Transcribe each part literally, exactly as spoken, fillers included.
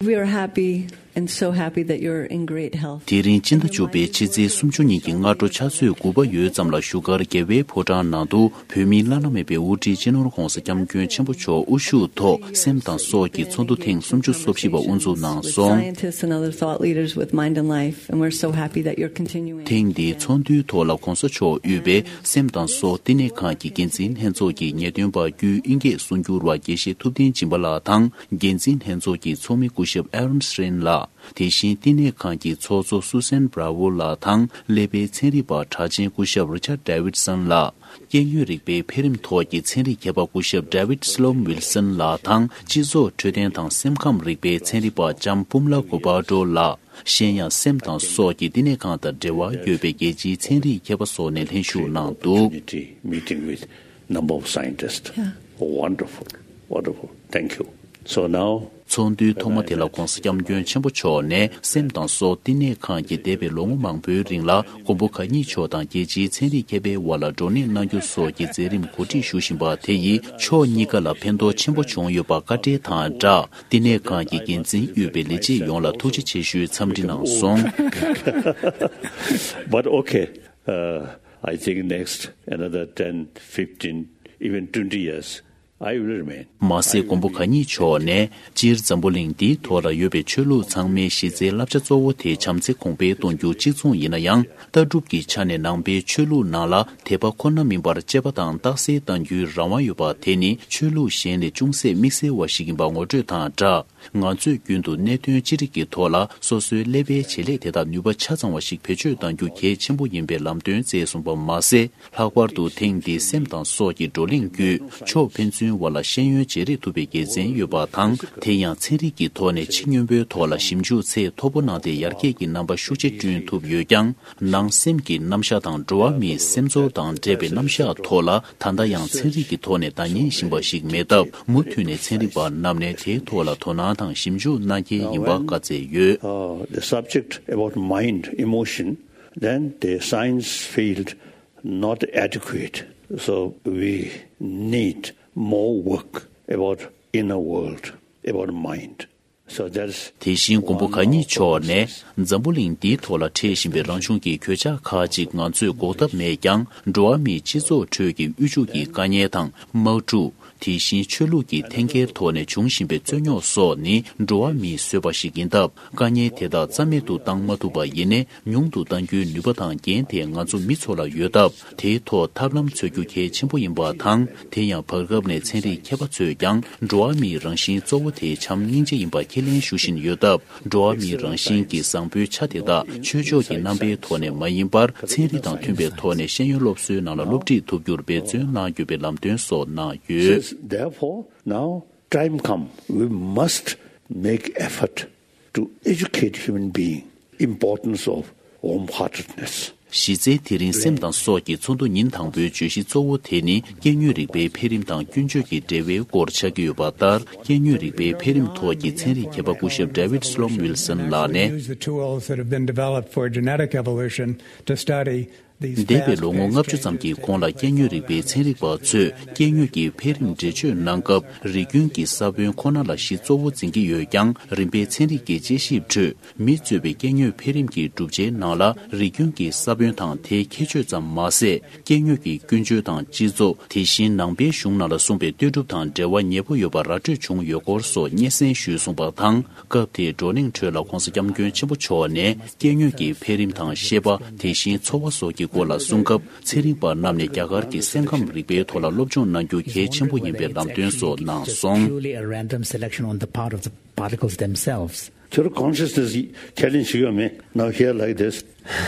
We are happy and so happy that you're in great health. དེ་རིང་སྤྱི་ཟླ་བཅུ་པའི་ཕྱི་ཚེས་སུམ་ཅུ་ཉིན་གྱི་སྔ་དྲོ་ཆུ་ཚོད་དགུ་པ་ཡོལ་ཙམ་ལ་བཞུགས་སྒར་རྒྱལ་བའི་ཕོ་བྲང་ནང་དུ་བོད་མིའི་བླ་ན་མེད་པའི་དབུ་ཁྲིད་སྤྱི་ནོར་༧གོང་ས་༧སྐྱབས་མགོན་ཆེན་པོ་མཆོག་དབུ་བཞུགས་ཐོག་སེམས་དང་སྲོག་གི་ཚོགས་འདུ་ཐེངས་སུམ་ཅུ་སོ་བཞི་པ་དབུ་འཛུགས་གནང་སོང་། Scientists and other thought leaders with mind and life, and we're so happy that you're continuing. ཐེངས་འདིའི་ཚོགས་འདུའི་ཐོག་ལ་༧གོང་ས་མཆོག་དབུས་པའི་སེམས་དང་སྲོག་བསྟི་གནས་ཁང་གི་འགན་འཛིན་ལྷན་ཚོགས་ཀྱི་ངེས་སྟོན་པ་དབུས་དབྱིན་སྐད་གསུང་སྒྱུར་བ་དགེ་བཤེས་ཐུབ་བསྟན་སྦྱིན་པ་ལགས་དང་། འགན་འཛིན་ལྷན་ཚོགས་ཀྱི་ཚོགས་མི་སྐུ་ཞབས་ཨེ་རོན་སི་རིན་ལགས། དེ་བཞིན་བསྟི་གནས་ཁང་གི་ཚོགས་གཙོ་སུ་སན་བྷ་ར་ཝོ་ལགས་དང་སླེ་པའི་ཚན་རིག་པ་གྲགས་ཅན་སྐུ་ཞབས་རི་ཆར་ཌེ་ཝིད་སོན་ལགས། སྐྱེ་དངོས་རིག་པའི་འཕེལ་རིམ་ཐོག་གི་ཚན་རིག་མཁས་པ་སྐུ་ཞབས་ཌེ་ཝིད་སི་ལོམ་ཝིལ་སོན་ལགས་དང་། སྤྱི་ཚོགས་འཕྲོད་བསྟེན་དང་སེམས་ཁམས་རིག་པའི་ཚན་རིག་པ་ལྕམ་པུམ་ལ་གོ་པ་ཏྲོ་ལགས། གཞན་ཡང་སེམས་དང་སྲོག་གི་བསྟི་གནས་ཁང་དང་འབྲེལ་བ་ཡོད་པའི་རྒྱལ་སྤྱིའི་ཚན་རིག་མཁས་པ་སོགས་ནས་ལྷན་ཞུགས་གནང་འདུག Opportunity meeting with number of scientists. Yeah. Wonderful, wonderful. Thank you. So now, ཚོགས་འདུའི་ཐོག་མ་དེ་ལ་༧གོང་ས་༧སྐྱབས་མགོན་ཆེན་པོ་མཆོག་ནས་སེམས་དང་སྲོག་བསྟི་གནས་ཁང་གིས་འདས་པའི་ལོ་ངོ་མང་པོའི་རིང་ལ་མགོན་པོ་གང་ཉིད་མཆོག་དང་རྒྱལ་སྤྱིའི་ཚན་རིག་མཁས་པའི་དབར་ལ་བགྲོ་གླེང་གནང་རྒྱུ་སོགས་ཀྱི་མཛད་རིམ་གོ་སྒྲིག་ཞུ་བཞིན་པ་དེ་ཡིས་ཕྱོགས་གཉིས་ཀ་ལ་ཕན་ཐོགས་ཆེན་པོ་བྱུང་ཡོད་པ་བཀའ་འཁྲོལ་དང་སྦྲགས། བསྟི་གནས་ཁང་གི་འགན་འཛིན་དབུས་པའི་ལས་བྱེད་ཡོངས་ལ་ཐུགས་རྗེ་ཆེ་ཞུའི་འཚམས་འདྲི་གནང་སོང་། But okay, uh, I think next another ten, fifteen, even twenty years, I will remain. མ་ཟད་མགོན་པོ་གང་ཉིད་མཆོག་ནས་སྤྱིར་འཛམ་བུ་གླིང་འདིའི་ཐོག་ལ་ཡོད་པའི་ཆོས་ལུགས་ཚང་མའི་གཞི་རྩའི་བསླབ་བྱ་གཙོ་བོ་དེ་བྱམས་བརྩེ་གོང་འཕེལ་གཏོང་རྒྱུ་གཅིག་མཚུངས་ཡིན་ན་ཡང་། ལྟ་གྲུབ་ཀྱི་ཆ་ནས་ནང་པའི་ཆོས་ལུགས་ནང་ལ་དད་པ་ཁོ་ན་མིན་པར་གཅེས་པ་དང་རྟགས་གསལ་གཏང་རྒྱུའི་རང་དབང་ཡོད་པ་དེ་ནི་ཆོས་ལུགས་གཞན་ལས་ཅུང་ཟད་དམིགས་བསལ་བ་ཞིག་ཡིན་པ་ངོ་སྤྲོད་དང་སྦྲགས། ང་ཚོས་རྒྱུན་དུ་གནད་དོན་ཅི་རིགས་ཀྱི་ཐོག་ལ་སོ་སོའི་ཀླད་པའི་བྱེད་ལས་དེ་དག་ནུས་པ་ཆ་ཚང་བ་ཞིག་བེད་སྤྱོད་གཏང་རྒྱུ་གལ་ཆེན་པོ་ཡིན་པའི་ལམ་སྟོན་བསྩལ་སོང་པ་མ་ཟད། ལྷག་པར་དུ་ཐེངས་འདིའི་སེམས་དང་སྲོག་གི་བགྲོ་གླེང་བརྒྱུད་ཕྱོགས་ཕན་ཚུན་བར་ལ་ཤེས་ཡོན་བརྗེ་རེས་ཐུབ་པའི་དགེ་མཚན་ཡོད་པ་དང་། དེ་ཡང་ཚན་རིག་གི་ཐོག་ནས་ཕྱི་སྙོམས་པོའི་ཐོག་ལ་ཞིབ་འཇུག་ཚད་མཐོ་པོ་གནང་སྟེ་ཡར་རྒྱས་ཀྱི་རྣམ་པ་ཤུགས་ཆེ་བསྐྲུན་ཐུབ་ཡོད་ཀྱང་། ནང་སེམས་ཀྱི་རྣམ་གཞག་དང་འགྲོ་བ་མིའི་སེམས་ཚོར་དང་འབྲེལ་བའི་རྣམ་གཞག་ཐོག་ལ་ད་ལྟ་ཡང་ཚན་རིག་གི་ཐོག་ནས་བརྡ་རྙིང་བཞིན་པ་ཞིག་མེད་སྟབས། མུ་མཐུད་ནས་ཚན་རིག་པ་རྣམས་ནས་དེའི་ཐོག་ལ་དོ་སྣང་དང་ཞིབ་འཇུག་གནང་གལ་ཡིན་པ་བཀའ་སྩལ་ཡོད། Uh, the subject about mind, emotion, then the science field not adequate. So we need more work about inner world, about mind. So that's དེ་བཞིན་མགོན་པོ་གང་ཉིད་མཆོག་ནས་འཛམ་བུ་གླིང་འདིའི་ཐོག་ལ་འཕྲད་བཞིན་པའི་རང་བྱུང་གི་གོད་ཆག་ཁག་ཅིག་ང་ཚོས་འགོག་ཐབས་མེད་ཀྱང་། འགྲོ་བ་མིའི་སྤྱི་ཚོགས་ཁྲོད་ཀྱི་དབུལ་ཕྱུག་གི་དཀའ་ངལ་དང་དམག་འཁྲུག་དེ་བཞིན་ཆོས་ལུགས་ཀྱི་འཐེན་འཁྱེར་ཐོག་ནས་འབྱུང་བཞིན་པའི་རྩོད་རྙོག་སོགས་ནི་འགྲོ་བ་མིས་བཟོས་པ་ཞིག་ཡིན་སྟབས། དཀའ་ངལ་དེ་དག་རྩ་མེད་དུ་བཏང་མ་ཐུབ་པ་ཡིན་ནའི། ཉུང་དུ་གཏང་རྒྱུའི་ནུས་པ་དང་འགན་དེ་ང་ཚོ་མི་ཚོ་ལ་ཡོད་སྟབས། དེའི་ཐོག་ཐབས་ལམ་འཚོལ་རྒྱུ་གལ་ཆེན་པོ་ཡིན་པ་དང་། དེ་ཡང་བར་སྐབས་ནས་ཚན་རིག་མཁས་པ་ཚོས་ཀྱང་འགྲོ་བ་མིའི་རང་བཞིན་གཙོ་བོ་དེ་བྱམས་སྙིང་རྗེ་ཡིན་པ་ཁས་ལེན་ཞུ་བཞིན་ཡོད་སྟབས། འགྲོ་བ་མིའི་རང་བཞིན་གྱི་བཟང་པོའི་ཆ་དེ་དག་ཆོས་ཕྱོགས་ཀྱི་རྣམ་པའི་ཐོག་ནས་མ་ཡིན་པར། ཚན་རིག་དང་མཐུན་པའི་ཐོག་ནས་ཤེས་ཡོན་སློབ་གསོའི་ནང་ལ་སློབ་ཁྲིད་ཐུབ་རྒྱུར་འབད་བརྩོན་གནང་དགོས་པའི་ལམ་སྟོན་སོགས་གནང་ཡོད། Since therefore now time come, we must make effort to educate human being importance of warm-heartedness. གཞི་རྩའི་དེ་རིང་སེམས་དང་སྲོག་གི་ཚོགས་འདུ་ཉིན་དང་པོའི་བརྗོད་གཞི་གཙོ་བོ་དེ་ནི། སྐྱེ་དངོས་རིག་པའི་འཕེལ་རིམ་དང་ཀུན་སྤྱོད་ཀྱི་འབྲེལ་བའི་སྐོར་ཆགས་ཀྱི་ཡོད་པ་ལྟར། སྐྱེ་དངོས་རིག་པའི་འཕེལ་རིམ་ཐོག་གི་ཚན་རིག་མཁས་པ་སྐུ་ཞབས་David Sloan Wilson ལགས་ནས། Use the tools that have been developed for genetic evolution to study འདས་པའི་ལོ་ངོ་ལྔ་བཅུ་ཙམ་གྱི་གོང་ལ་སྐྱེ་དངོས་རིག་པའི་ཚན་རིག་པ་ཚོས་སྐྱེ་དངོས་ཀྱི་འཕེལ་རིམ་འགྲེལ་བརྗོད་གནང་སྐབས། རིགས་རྒྱུན་གྱི་ས་བོན་ཁོ་ན་ལ་གཞི་གཙོ་བོ་འཛིན་གྱི་ཡོད་ཀྱང་། རིམ་པས་ཚན་རིག་གི་དཔྱད་ཞིབ་ཁྲོད། མི་གཙོས་པའི་སྐྱེ་དངོས་འཕེལ་རིམ་གྱི་གྲུབ་ཆའི་ནང་ལ་རིགས་རྒྱུན་གྱི་ས་བོན་དང་དེའི་ཁྱད་ཆོས་ཙམ་མ་ཟད། སྐྱེ་དངོས་ཀྱི་ཀུན་སྤྱོད་དང་སྤྱི་ཚོགས། དེ་བཞིན་ནང་པའི་གཞུང་ནང་ལ་གསུངས་པའི་ལྟོས་གྲུབ་དང་འབྲེལ་བ་ཉེ་པོ་ཡོད་པ་ར་སྤྲོད་བྱུང་ཡོད་སྐོར་སོགས་སྙན་སེང་ཞུས་གསུངས་པ་དང་། སྐབས་དེའི་བགྲོ་གླེང་ཁྲོད་ལ་༧གོང་ས་༧སྐྱབས་མགོན་ཆེན་པོ་མཆོག་ནས། སྐྱེ་དངོས་ཀྱི་འཕེལ་རིམ་དང་ཤེས་པ། དེ་བཞིན་འཚོ་བ་སོགས་ཀྱི་སྐོར་ལ་གསུང་སྐབས། ཚན་རིག་པ་རྣམས་ནས་རྒྱ་གར་གྱི་སེམས་ཁམས་རིག་པའི་ཐོག་ལ་སློབ་སྦྱོང་གནང་རྒྱུ་གལ་ཆེན་པོ་ཡིན་པའི་ལམ་སྟོན་སོགས་གནང་སོང་། Purely a random selection on the part of the particles themselves. Therefore consciousness challenge you me. Now here like this,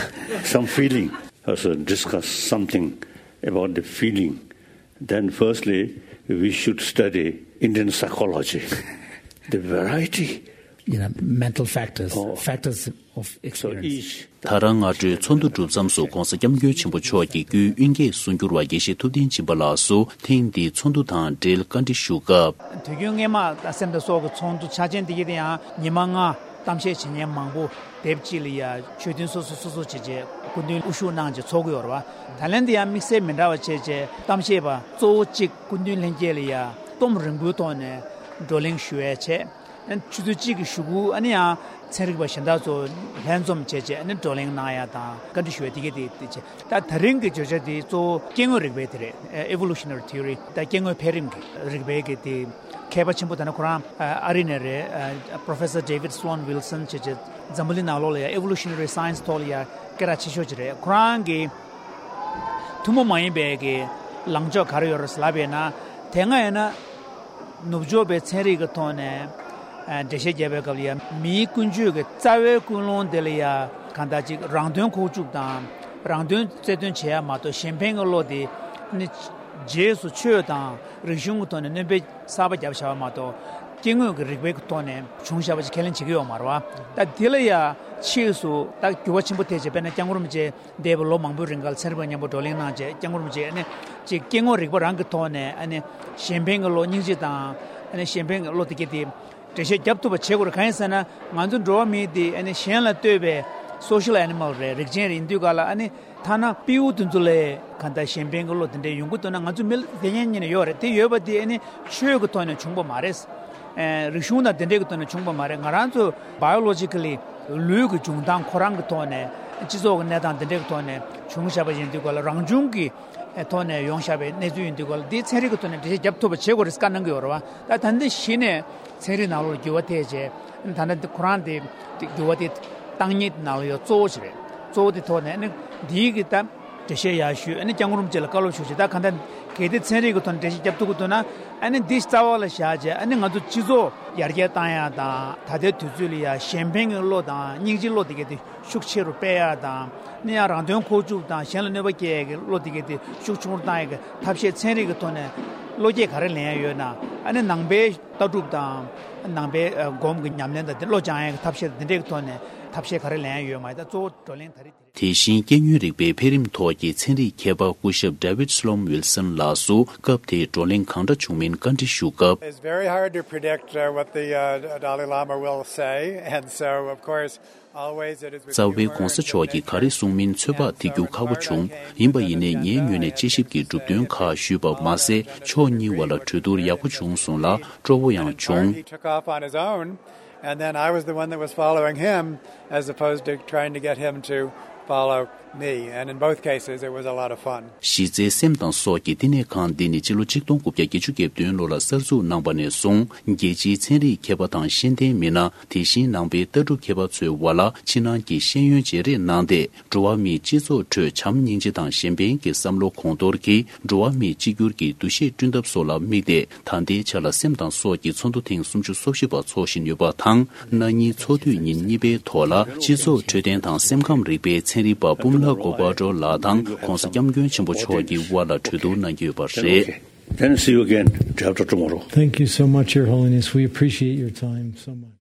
some feeling. Also discuss something about the feeling. Then firstly, we should study Indian psychology. The variety. You know, mental factors, oh, factors of experience. So each ད་རང་སྔ་དྲོའི་ཚོགས་འདུ་གྲུབ་མཚམས་སུ་༧གོང་ས་༧སྐྱབས་མགོན་ཆེན་པོ་མཆོག་གིས་དབུས་དབྱིན་སྐད་གསུང་སྒྱུར་བ་དགེ་བཤེས་ཐུབ་བསྟན་སྦྱིན་པ་ལགས་སུ་ཐེངས་འདིའི་ཚོགས་འདུ་དང་འབྲེལ་བཀའ་འདྲི་ཞུ་སྐབས། དུས་རྒྱུན་སྔས་མ་སེམས་དང་སྲོག་གི་ཚོགས་འདུ་ཆ་ཆེན་འདི་གི་དེ་ཡང་ཉི་མ་ལྔ་གཏམ་བཤད་བྱེད་མཁན་མང་པོ་དེབ་གཅིག་ལ་ཡ་ཆོས་ཐུན་སོ་སོ་སོ་སོ་བྱས་རྗེས་སྐུ་མདུན་དབུ་བཞུགས་གནང་རྗེས་ཚོགས་ཀྱི་ཡོད་རེད་བ། ད་ལན་འདི་ཡང་དམིགས་བསལ་མི་འདྲ་བ་བྱས་རྗེས་གཏམ་བཤད་པ་གཙོ་བོ་གཅིག་སྐུ་མདུན་ལྷན་རྒྱས་ལ་ཡ་གཏོང་རིང་པོའི་ཐོག་ནས་བགྲོ་གླེང་ཞུ་ཡ་བྱས། ཆུ་ཚོད་གཅིག་གི་གཞུག་གུ་ཨ་ནི་ཡང་ཚན་རིག་པ་གཞན་དག་ཚོ་ལྷན་འཛོམས་བྱས་རྗེས་ཨ་ནི་བགྲོ་གླེང་གནང་ཡ་དང་བཀའ་འདྲི་ཞུ་ཡ་དེ་ག་དེ་དེ་བྱས། ད་ད་རིང་གི་བརྗོད་བྱ་དེ་གཙོ་བོ་སྐྱེ་དངོས་རིག་པའི་དེ་རེད། Evolutionary Theory། ད་སྐྱེ་དངོས་འཕེལ་རིམ་གྱི་རིག་པའི་གི་དེ་མཁས་པ་ཆེན་པོ། ད་ནི་ཁོ་རང་ཨ་རི་ནས་རེད། Professor David Sloan Wilson བྱས་རྗེས་འཛམ་བུ་གླིང་ནང་ལོགས་ལ་ཡ་Evolutionary Science ཐོག་ལ་ཡ་སྐད་གྲགས་ཆེ་ཤོས་ཅིག་རེད། ཁོ་རང་གི་ཐུན་མོང་མ་ཡིན་པའི་གི་ལངས་ཕྱོགས་ག་རེ་ཡོད་རེད་ལབ་པས་ན། དེ་སྔ་ཡིན་ན་ནུབ་ཕྱོགས་པའི་ཚན་རིག་གི་ཐོག་ནས་ཨ་འགྲེལ་བཤད་བརྒྱབ་པའི་སྐབས་ལ་ཡ་མིའི་ཀུན་སྤྱོད་ཀྱི་རྩ་བའི་ཀུན་སློང་དེ་ལ་ཡ་གང་ལྟར་ཅིག་རང་དོན་ཁོག་བཅུག་དང་རང་དོན་རྩལ་འདོན་བྱེད་ཡ་མ་གཏོགས་གཞན་ཕན་གྱི་བློ་དེ་ནི་རྗེས་སུ་ཆོས་དང་རིག་གཞུང་གི་ཐོག་ནས་སྣོན་པ་གསར་པ་བརྒྱབ་བཞག་པ་མ་གཏོགས་སྐྱེ་དངོས་ཀྱི་རིག་པའི་ཐོག་ནས་བྱུང་བཞག་པ་ཅིག་ཁས་ལེན་བྱེད་ཀྱི་ཡོད་མ་རེད་བ། ད་དེ་ལ་ཡ་ཕྱིས་སུ་ད་འགྱུར་བ་ཆེན་པོ་ཐེབས་བྱས། དཔེར་ན་སྐྱབས་མགོན་རིན་པོ་ཆེ་འདས་པའི་ལོ་མང་པོའི་རིང་ག་ལ་ཚན་རིག་པ་མཉམ་པོ་བགྲོ་གླེང་གནང་བྱས། སྐྱབས་མགོན་རིན་པོ་ཆེ་ཨ་ནི་ཅིག་སྐྱེ་དངོས་རིག་པ་རང་གི་ཐོག་ནས་ཨ་ནི་གཞན་ཕན་གྱི་བློ། སྙིང་རྗེ་དང་ཨ་ནི་གཞན་ཕན་གྱི་བློ་དེ་ག་དེ་འགྲེལ་བཤད་བརྒྱབ་ཐུབ་པ་བྱེད་དགོས་རེད། གང་ཡིན་ཟེར་ན་ང་ཚོ་འགྲོ་བ་མི་དེ་ཨ་ནི་གཞན་ལ་ལྟོས་པའི་social animal རེད། རིགས་ཅན་རེད། ཡིན་དུས་ག་ལ་ཨ་ནི་ཐ་ན་སྤྲེའུ་དེ་ཚོ་ལས་གང་ལྟར་གཞན་ཕན་གྱི་བློ་དེ་འདྲ་ཡོང་གི་འདུག་ན་ང་ཚོ་མི་ལ་དེ་ཉན་ཉན་ཡོད་རེད། དེ་ཡོད་པ་དེ་ཨ་ནི་ཆོས་ཀྱི་ཐོག་ནས་བྱུང་པ་མ་རེད། ཨེ་རིག་གཞུང་དང་དེ་འདྲའི་གི་ཐོག་ནས་བྱུང་པ་མ་རེད། ང་རང་ཚོ་biologically ལུས་ཀྱི་འབྱུང་སྟངས་ཁོ་རང་གི་ཐོག་ནས་སྤྱི་ཚོགས་ཀྱི་གནས་སྟངས་དེ་འདྲའི་གི་ཐོག་ནས་བྱུང་བཞག་པ་ཡིན་དུས་ག་ལ་རང་བྱུང་གི་ཐོག་ནས་ཡོང་བཞག་པའི་གནས་ཚུལ་ཡིན་དུས་ག་ལ་འདི་ཚན་རིག་གི་ཐོག་ནས་འགྲེལ་བཤད་བརྒྱབ་ཐུབ་པ་བྱེད་དགོས་རེད་བཀའ་གནང་གི་ཡོད་རེད་བ། ད་ད་འདི་གཞི་ནས་ཚན་རིག་ནང་ལོགས་འགྱུར་བ་ཐེབས་བྱས། ད་ལྟ་འདི་ཁོ་རང་དེ་འགྱུར་བ་དེ་བཏང་ཉིད་ནང་ལ་ཡོད་གཙོ་བོ་ཞིག་རེད། གཙོ་བོ་དེ་ཐོག་ནས་ཨ་ནི་འདིའི་གི་ད་འགྲེལ་བཤད་ཡར་ཞུས། ཨ་ནི་སྐྱབས་མགོན་རིན་པོ་ཆེ་ལ་བཀའ་སློབ་ཞུ་ཞིག་ད་གང་ལྟར་གལ་ཏེ་ཚན་རིག་གི་ཐོག་ནས་འགྲེལ་བཤད་བརྒྱབ་ཐུབ་ཀྱི་འདུག་ན། ཨ་ནི་འདི་རྩ་བ་ལ་བཞག་བྱས་ཨ་ནི་ང་ཚོ་སྤྱི་ཚོགས་ཡར་རྒྱས་བཏང་ཡ་དང་། ད་ལྟའི་དུས་ཚོད་ལ་ཡ་གཞན་ཕན་གྱི་བློ་དང་སྙིང་རྗེའི་བློ་དེ་ག་དེ་ཤུགས་ཆེ་རུ་སྤེལ་ཡ་དང་། ཨ་ནི་ཡང་རང་དོན་ཁོག་བཅུག་དང་གཞན་ལ་གནོད་པ་སྐྱེལ་ཡ་གི་བློ་དེ་ག་དེ་ཤུགས་ཆུང་རུ་བཏང་ཡ་གི་ཐབས་ཤེས་ཚན་རིག་གི་ཐོག་ནས་བློ་སྐྱེད་ག་རེ་ལེན་ཡ་ཡོད་ན། ཨ་ནི་ནང་པའི་ལྟ་གྲུབ་དང་ནང་པའི་ཨ་སྒོམ་གྱི་ཉམས་ལེན་དང་དེ་བློ་སྦྱང་ཡ་གི་ཐབས་ཤེས་དང་དེ་འདྲའི་གི་ཐོག་ནས་ཐབས་ཤེས་ག་རེ་ལེན་ཡ་ཡོད་མ་རེད། ད་གཙོ་བོ་བགྲོ་གླེང་ད་རེས་དེ་རེད། དེ་བཞིན་སྐྱེ་དངོས་རིག་པའི་འཕེལ་རིམ་ཐོག་གི་ཚན་རིག་མཁས་པ་སྐུ་ཞབས་David Sloan Wilson ལགས་སུ་སྐབས་དེའི་བགྲོ་གླེང་གང་འདྲ་བྱུང་མིན་བཀའ་འདྲི་ཞུ་སྐབས། It's very hard to predict uh, what the uh, Dalai Lama will say, and so of course, always it is with རྩ་བའི་༸གོང་ས་མཆོག་གིས་ག་རེ་གསུང་མིན་ཚོད་དཔག་ཐེབས་རྒྱུ་ཁག་པོ་བྱུང་། ཡིན་པ་ཡིན་ནའི་ངའི་ངོས་ནས་དཔྱད་ཞིབ་ཀྱི་གྲུབ་དོན་ཁག་ཞུས་པ་མ་ཟད། ཕྱོགས་གཉིས་བར་ལ་གྲོས་བསྡུར་ཡག་པོ་བྱུང་སོང་ལ་སྤྲོ་བོ་ཡང་བྱུང་། He took off on his own, and then I was the one that was following him, as opposed to trying to get him to follow me. And in both cases, it was a lot of fun. གཞི་རྩའི་སེམས་དང་སྲོག་གི་བསྟི་གནས་ཁང་འདི་ནི་སྤྱི་ལོ་ཆིག་སྟོང་དགུ་བརྒྱ་བརྒྱད་ཅུ་གྱ་བདུན་ལོ་ལ་གསར་འཛུགས་གནང་བ་ནས་བཟུང་རྒྱལ་སྤྱིའི་ཚན་རིག་མཁས་པ་དང་ཤེས་ལྡན་མི་སྣ། དེ་བཞིན་ནང་པའི་ལྟ་གྲུབ་མཁས་པ་ཚོའི་བར་ལ་ཕྱི་ནང་གི་ཤེས་ཡོན་བརྗེ་རེས་གནང་སྟེ། འགྲོ་བ་མིའི་སྤྱི་ཚོགས་ཁྲོད་བྱམས་སྙིང་རྗེ་དང་གཞན་ཕན་གྱི་བསམ་བློ་གོང་མཐོར་གྱིས་འགྲོ་བ་མིའི་གཅིག་གྱུར་གྱི་འདུ་ཤེས་བསྐྲུན་ཐབས་སོགས་ལ་དམིགས་ཏེ། ད་ལྟའི་ཆ་ལ་སེམས་དང་སྲོག་གི་ཚོགས་འདུ་ཐེངས་སུམ་ཅུ་སོ་བཞི་པ་འཚོགས་བཞིན་ཡོད་པ་དང་། གནངས་ཉིན་ཚོགས་དུས་ཉིན་གཉིས་པའི་ཐོག་ལ་སྤྱི་ཚོགས་འཕྲོད་བསྟེན་དང་སེམས་ཁམས་རིག་པའི་ཚན་རིག་པ་པུམ་ལ་གོ་པ་ཏྲོ་ལགས་དང་༸གོང་ས་༸སྐྱབས་མགོན་ཆེན་པོ་མཆོག་གི་དབར་ལ་གྲོས་བསྡུར་གནང་གི་ཡོད་པ་རེད། Okay. Then see you again day after tomorrow. Thank you so much, Your Holiness. We appreciate your time so much.